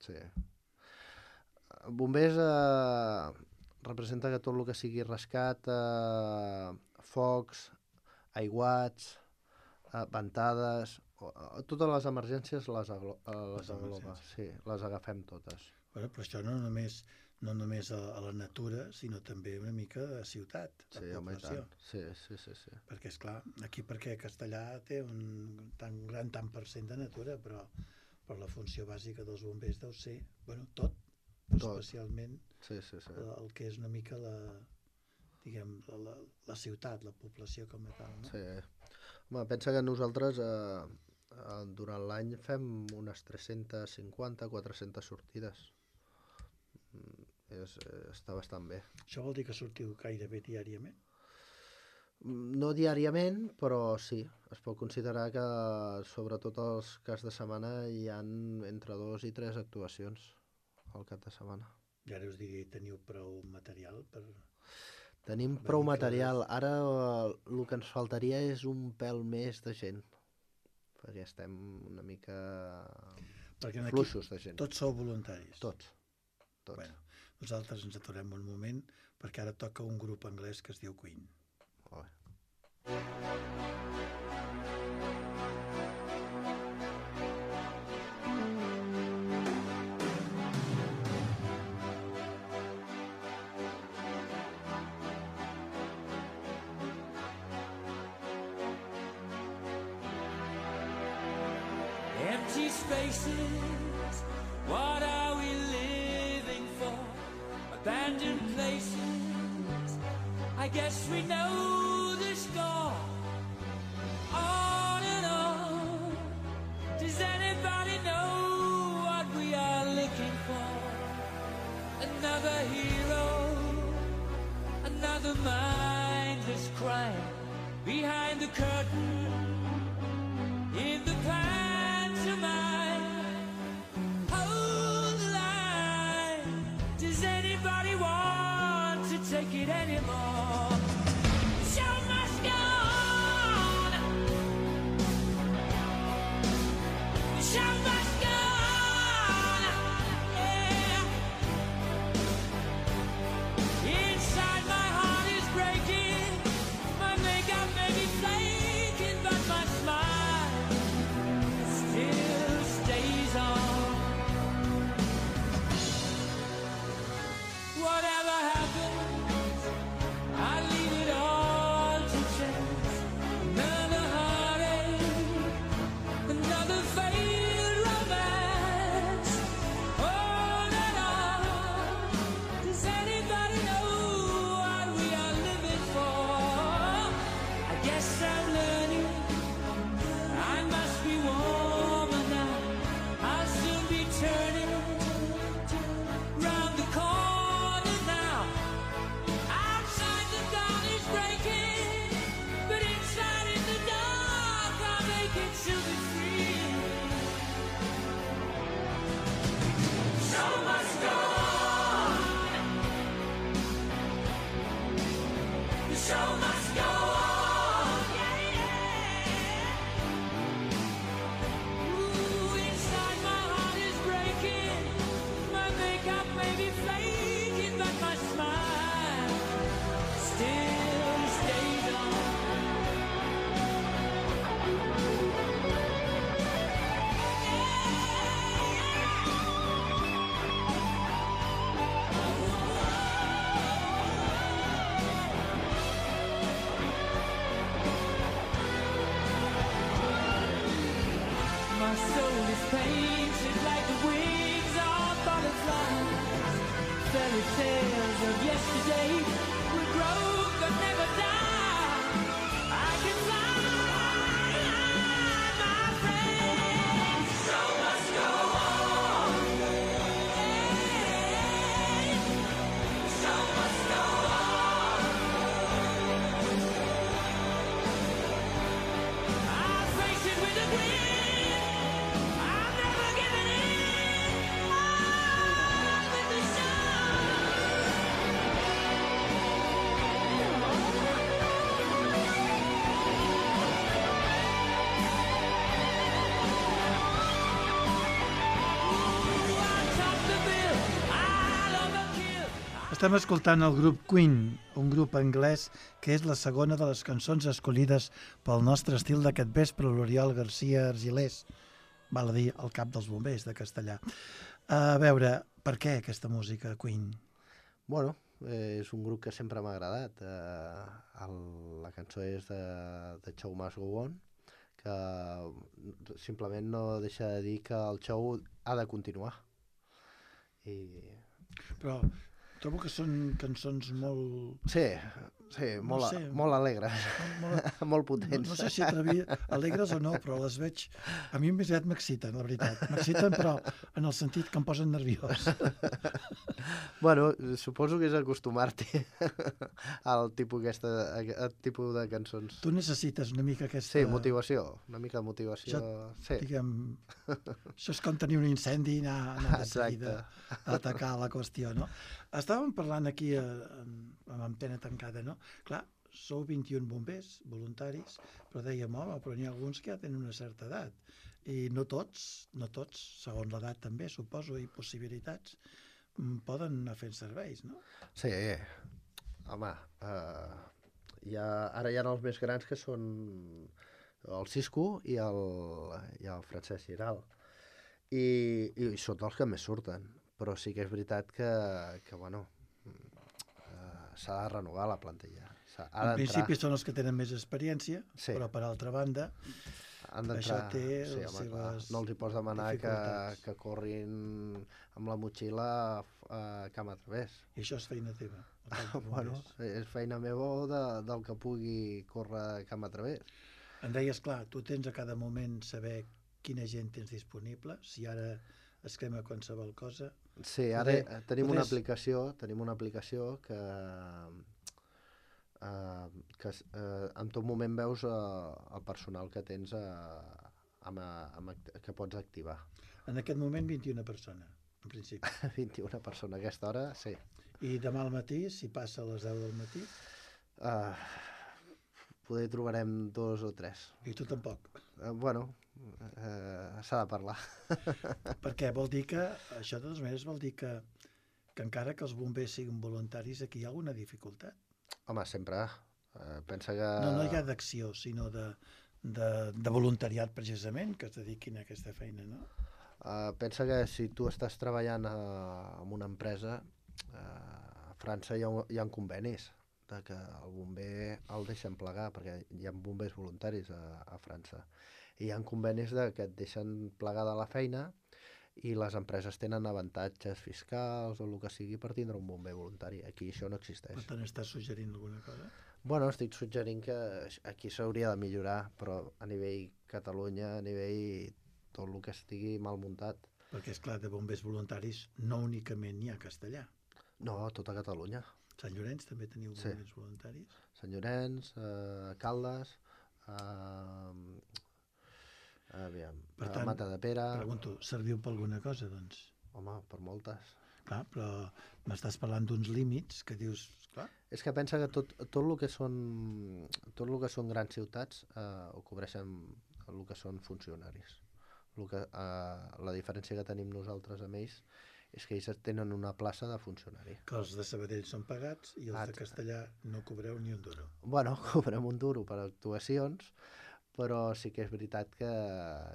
Sí. Bombers eh, representa que tot el que sigui rescat, eh, focs, aiguats, eh, ventades, eh, totes les emergències les, aglo eh, les agloba, sí, les agafem totes. Bueno, però això no només, no només a, a la natura, sinó també una mica a ciutat, a sí, home, població. Sí, sí, sí, sí. Perquè, esclar, aquí perquè Castellà té un tan gran tant per cent de natura, però, però la funció bàsica dels bombers deu ser, bueno, tot, tot. Especialment sí, sí, sí. El, el que és una mica la, diguem, la, la, la ciutat, la població com a tal, no? Sí. Home, pensa que nosaltres eh, eh, durant l'any fem unes tres-centes cinquanta a quatre-centes sortides. Mm, és, eh, està bastant bé. Això vol dir que sortiu gairebé diàriament? No diàriament, però sí. Es pot considerar que sobretot els caps de setmana hi ha entre dos i tres actuacions al cap de setmana. I ara us digui, teniu prou material per... Tenim prou material. Ara eh, el que ens faltaria és un pèl més de gent, perquè estem una mica perquè fluixos de gent. Tots sou voluntaris? Tots. Tots. Bueno, nosaltres ens aturem un moment perquè ara toca un grup anglès que es diu Queen. Oh. Empty spaces, what are we living for? Abandoned places, I guess we know the score. On and on, does anybody know what we are looking for? Another hero, another mindless crime, behind the curtain, in the past. Hold the line. Does anybody want to take it anymore? The show must go on. The show must go on. Yeah. Inside my heart is breaking. My makeup may be flaking, but my smile still stays on. Whatever happens, I leave it all to chance. Another heartache, another failed romance. On and on. Does anybody know what we are living for? I guess I'm learning. I must be warmer now. I'll soon be turning round the corner now. Outside the dawn is breaking, but inside in the dark I'm aching to be free. Show must go on. The show must go on. Yeah, yeah. Ooh, inside my heart is breaking. My makeup may be flaking, but my smile still stays on. My soul is painted like the wings of butterflies. Fairy tales of yesterday will grow but never die. I can fly, my friend. The show must go on. Hey, the show must go on. I'll face it with a grin. I'm never giving in. Estem escoltant el grup Queen, un grup anglès que és la segona de les cançons escollides pel nostre estil d'aquest vespre, l'Oriol Garcia Argilés, val a dir el cap dels bombers de Castellà. A veure, per què aquesta música, Queen? Bueno, eh, és un grup que sempre m'ha agradat. Eh, el, la cançó és de, de Show Must Go On, que simplement no deixa de dir que el show ha de continuar. I... Però trobo que són cançons molt... Sí, sí, No molt, sé. molt alegres, molt, molt no, potents. no sé si atrevi, alegres o no, però les veig... A mi més aviat m'exciten, la veritat. M'exciten, però en el sentit que em posen nerviós. Bueno, suposo que és acostumar-t'hi al tipus, aquesta, al tipus de cançons. Tu necessites una mica aquesta... Sí, motivació, una mica de motivació. Això, Sí, diguem, això és com tenir un incendi i anar, anar de Exacte. seguida a atacar la qüestió, no? Estàvem parlant aquí a, amb antena tancada, no? Clar, sou vint-i-un bombers voluntaris, però dèiem, home, però n'hi ha alguns que ja tenen una certa edat. I no tots, no tots, segons l'edat també, suposo, i possibilitats, mm, poden anar fent serveis, no? sí. Home, eh, hi ha, ara hi ha els més grans que són el Cisco i el, i el Francesc Giral. I, i són els que més surten. Però sí que és veritat que, que bueno, eh, s'ha de renovar la plantilla. S'ha, ha En d'entrar, principi són els que tenen més experiència, Sí. però per altra banda, han d'entrar... això té sí, les home, clar, seves no els hi pots demanar que, dificultats. que corrin amb la motxilla a, a cama a través. i això és feina teva. el cos de Bueno, bombers. és feina meva o de, del que pugui córrer cama a través. Em deies, clar, tu tens a cada moment saber quina gent tens disponible, si ara es crema qualsevol cosa. Sí, ara Poder- eh, tenim una poders- aplicació, tenim una aplicació que, eh, que eh, en tot moment veus eh, el personal que tens eh, amb, amb, act- que pots activar. En aquest moment vint-i-una persones, en principi. vint-i-una persones a aquesta hora, sí. I demà al matí, si passa a les deu del matí, Uh, poder trobarem dos o tres. i tu tampoc. Uh, bueno, uh, s'ha de parlar. Perquè vol dir que, això de totes maneres vol dir que, que encara que els bombers siguin voluntaris, aquí hi ha alguna dificultat. Home, sempre. Uh, pensa que... No, no hi ha d'acció, sinó de, de, de voluntariat, precisament, que es dediquin a aquesta feina, no? Uh, pensa que si tu estàs treballant uh, en una empresa, uh, a França hi ha, hi ha convenis de que el bomber el deixen plegar, perquè hi ha bombers voluntaris a, a França. I hi ha convenis de que et deixen plegar de la feina i les empreses tenen avantatges fiscals o el que sigui per tindre un bomber voluntari. Aquí això no existeix. Per tant, estàs suggerint alguna cosa? Bueno, estic suggerint que aquí s'hauria de millorar, però a nivell Catalunya, a nivell tot el que estigui mal muntat. Perquè, és clar, de bombers voluntaris no únicament n'hi ha a Castellà. No, tota Catalunya. Sant Llorenç també teniu Sí. bombers voluntaris? Sant Llorenç, eh, Caldes, eh, aviam, Per eh, tant, Matadepera, Pregunto, serviu per alguna cosa, doncs? home, per moltes. Clar, però m'estàs parlant d'uns límits que dius, clar, És que pensa que tot, tot el que són tot el que són grans ciutats eh, ho cobreixen el que són funcionaris. El que, eh, la diferència que tenim nosaltres amb ells és que ells tenen una plaça de funcionari. que els de Sabadell són pagats i els Ah, de Castellà no cobreu ni un duro. Bueno, cobrem un duro per actuacions, però sí que és veritat que,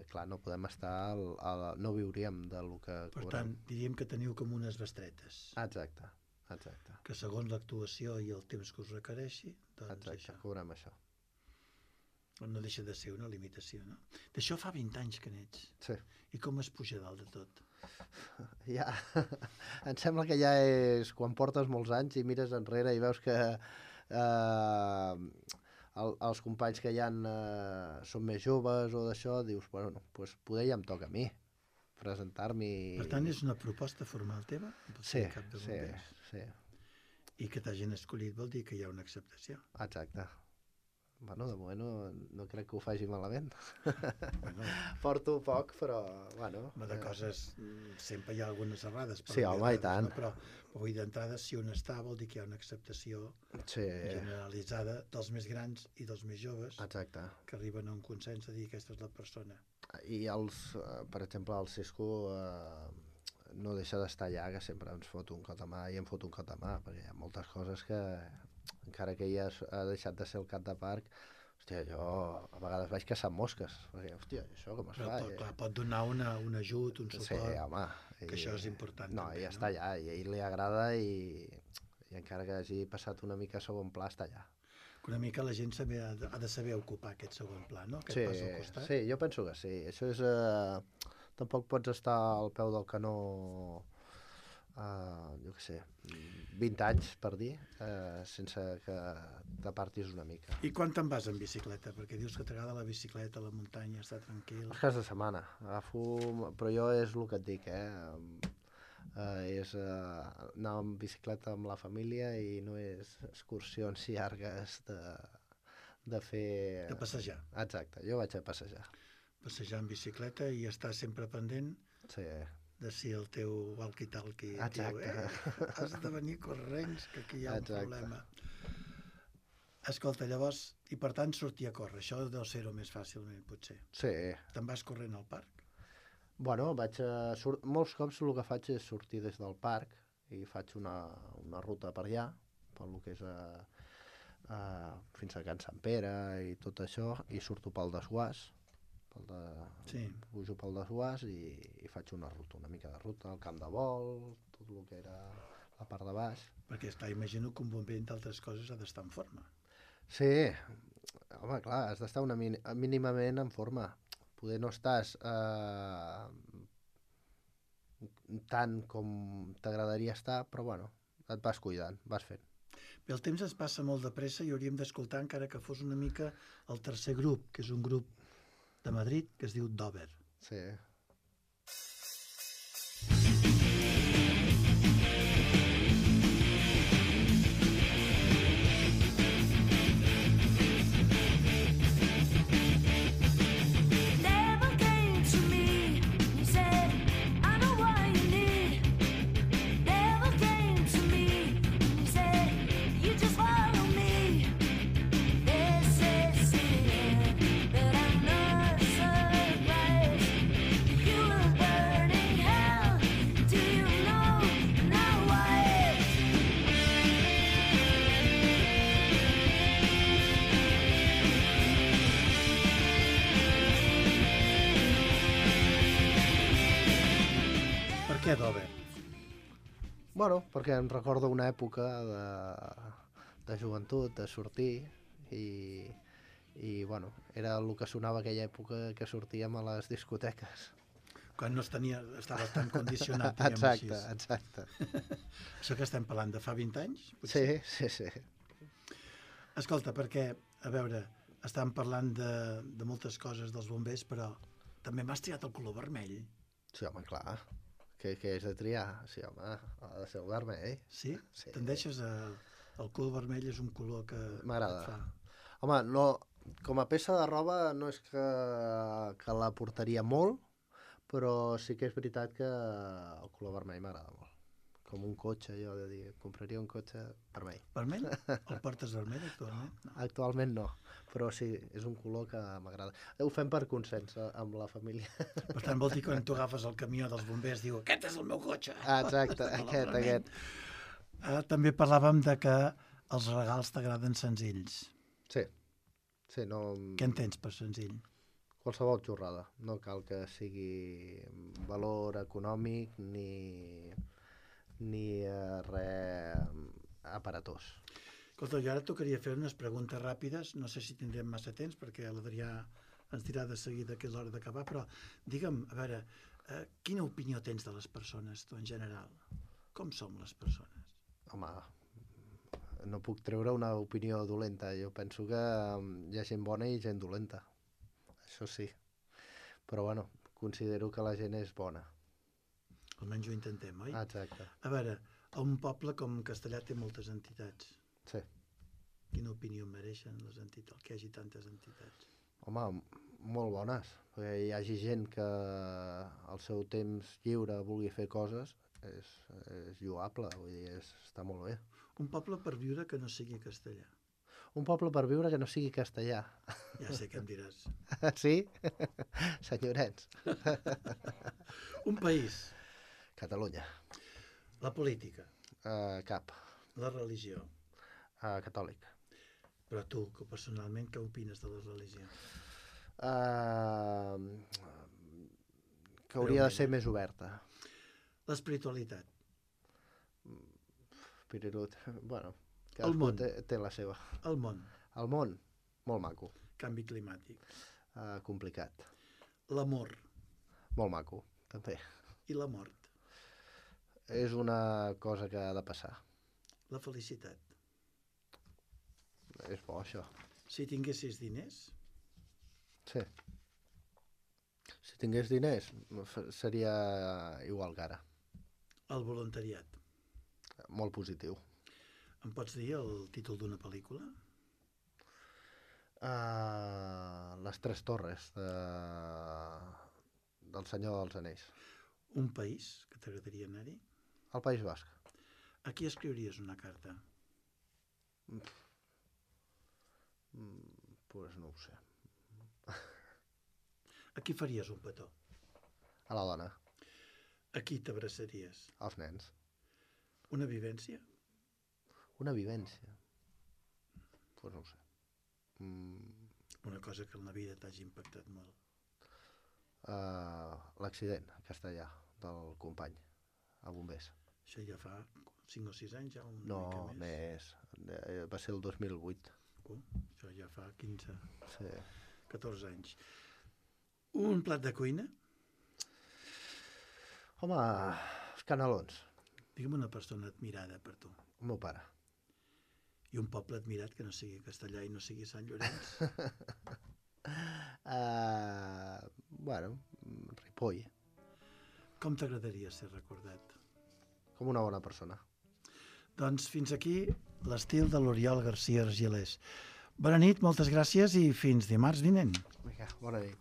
clar, no podem estar, al, al, no viuríem del que Per cobrem. tant, diríem que teniu com unes bestretes, Exacte, exacte, que segons l'actuació i el temps que us requereixi, doncs exacte, això cobrem això. no deixa de ser una limitació, no? D'això fa vint anys que n'ets. Sí. I com es puja dalt de tot? Ja, em sembla que ja és quan portes molts anys i mires enrere i veus que eh, el, els companys que hi ha eh, són més joves o d'això, dius, bueno, no, pues poder ja em toca a mi presentar-m'hi. Per tant, és una proposta formal teva? Per Sí, ser cap de sí, bombers? sí, I que t'hagin escollit vol dir que hi ha una acceptació. exacte. Bueno, de moment no, no crec que ho faci malament. Bueno, Porto poc, però, bueno... home, de eh, coses, mm, sempre hi ha algunes errades. per Sí, dir home, i errades, tant. No? Però, però vull dir, d'entrada, si un està, vol dir que hi ha una acceptació Sí, generalitzada dels més grans i dels més joves exacte. que arriben a un consens a dir aquesta és la persona. I els, eh, per exemple, al Cisco eh, no deixa d'estar allà, que sempre ens fot un cot de mà i em fot un cot de mà, perquè hi ha moltes coses que, encara que ella ha deixat de ser el cap de parc, hòstia, jo a vegades vaig caçar mosques, perquè, hòstia, això com es Però fa? pot, clar, pot donar una, un ajut, un Sí, suport, home. que això és important. No, també, ella està allà, i a ell li agrada i, i encara que hagi passat una mica a segon pla, està allà. Que una mica la gent saber, ha de saber ocupar aquest segon pla, no? Aquest Sí, pas al costat. sí, jo penso que sí. Això és... Eh, tampoc pots estar al peu del canó, eh, jo què sé, vint anys, per dir, eh, sense que t'apartis una mica. I quan te'n vas en bicicleta? Perquè dius que t'agrada la bicicleta, la muntanya, estar tranquil. Els caps de setmana. Agafo... Però jo és el que et dic, eh? Eh, és eh, anar amb bicicleta amb la família i no és excursions llargues de, de fer... De passejar. Exacte, jo vaig a passejar. Passejar en bicicleta i estar sempre pendent Sí. de si el teu walkie-talkie diu, Exacte. eh, has de venir corrents, que aquí hi ha un Exacte. problema. Escolta, llavors, i per tant sortir a córrer, això deu ser-ho més fàcilment, potser. Sí. Te'n vas corrent al parc? Bueno, vaig a... Sur... molts cops el que faig és sortir des del parc i faig una, una ruta per allà, per lo que és a, a, fins a Can Sant Pere i tot això, i surto pel desguàs, pel de... Sí. pujo pel desguàs i, i faig una ruta, una mica de ruta, el camp de vol, tot el que era la part de baix. Perquè, esclar, imagino que un bomber, entre altres coses, ha d'estar en forma. Sí, home, clar, has d'estar una mín mínimament en forma. Poder no estàs eh, tant com t'agradaria estar, però bueno, et vas cuidant, vas fent. Bé, el temps es passa molt de pressa i hauríem d'escoltar, encara que fos una mica, el tercer grup, que és un grup de Madrid, que es diu Dover. Sí. Never came to me. He said, I know what you need. Never came to me. He said, you just follow me. This is it, but I'm not surprised. You were burning hell. Do you know now why? Per què Dover? Bueno, perquè em recordo una època de, de joventut, de sortir, i, i bueno, era el que sonava aquella època que sortíem a les discoteques. Quan no es tenia, estava tan condicionat, diguem Exacte, així. exacte. Això que estem parlant de fa vint anys? Sí, potser? sí, sí. Escolta, perquè, a veure, estàvem parlant de, de moltes coses dels bombers, però també m'has triat el color vermell. Sí, home, clar. Què, què és de triar? Sí, home, ha de ser el vermell. Sí? Sí. Tendeixes a... El color vermell és un color que M'agrada. et fa... Home, no, com a peça de roba no és que, que la portaria molt, però sí que és veritat que el color vermell m'agrada molt. Com un cotxe, jo de dir, compraria un cotxe vermell. Vermell? El portes vermell actualment? No. Actualment no, però sí, és un color que m'agrada. Ho fem per consens eh, amb la família. Per tant, vol dir que quan tu agafes el camió dels bombers diu aquest és el meu cotxe. Ah, exacte, El aquest, vermell. aquest. Ah, també parlàvem de que els regals t'agraden senzills. Sí, sí, no... Què entens per senzill? Qualsevol xorrada. No cal que sigui valor econòmic ni, ni eh, res aparatós. Escolta, jo ara tocaria fer unes preguntes ràpides, no sé si tindrem massa temps perquè l'Adrià ens dirà de seguida que és l'hora d'acabar, però digue'm, a veure, eh, quina opinió tens de les persones, tu en general? Com som les persones? Home, no puc treure una opinió dolenta. Jo penso que mm, hi ha gent bona i gent dolenta. Això sí. Però bueno, considero que la gent és bona. Almenys ho intentem, oi? Exacte. A veure, a un poble com Castellà té moltes entitats. Sí. Quina opinió mereixen les entitats, que hi hagi tantes entitats? Home, m- molt bones. Perquè hi hagi gent que al seu temps lliure vulgui fer coses, és, és lloable, vull dir, és, està molt bé. Un poble per viure que no sigui castellà. Un poble per viure que no sigui castellà. Ja sé què em diràs. Sí? Senyorets. Un país. Catalunya. La política, Uh, cap. la religió. Uh, catòlic. Però tu, que personalment, què opines de la religió? Uh, que hauria de ser més oberta. L'espiritualitat, Pirirut. Bueno, El cadascú món. té, té la seva. el món, El món, molt maco. canvi climàtic, Uh, complicat. l'amor Molt maco, també. i la mort, És una cosa que ha de passar. la felicitat. És bo, això. Si tinguessis diners, Sí. Si tingués diners, f- seria igual que ara. el voluntariat. Molt positiu. Em pots dir el títol d'una pel·lícula? Uh, les Tres Torres de... del Senyor dels Anells. Un país que t'agradaria anar-hi? Al País Basc. A qui escriuries una carta? Mm, pues no ho sé. A qui faries un petó? A la dona, A qui t'abraçaries? als nens. Una vivència? Una vivència. Pues no ho sé. Mm, Una cosa que en la vida t'hagi impactat molt. uh, L'accident a Castellà del company a bombers. Això ja fa cinc o sis anys, ja una No, mica més. més. Eh, Va ser el dos mil vuit. Uh, això ja fa quinze, Sí. catorze anys. Un plat de cuina? Home, els canelons. Digue'm una persona admirada per tu. El meu pare. I un poble admirat que no sigui Castellà i no sigui Sant Llorenç. Uh, bueno, Ripoll. Com t'agradaria ser recordat? Com una bona persona. Doncs fins aquí l'estil de l'Oriol García Argilés. Bona nit, moltes gràcies i fins dimarts vinent. Vinga, bona nit.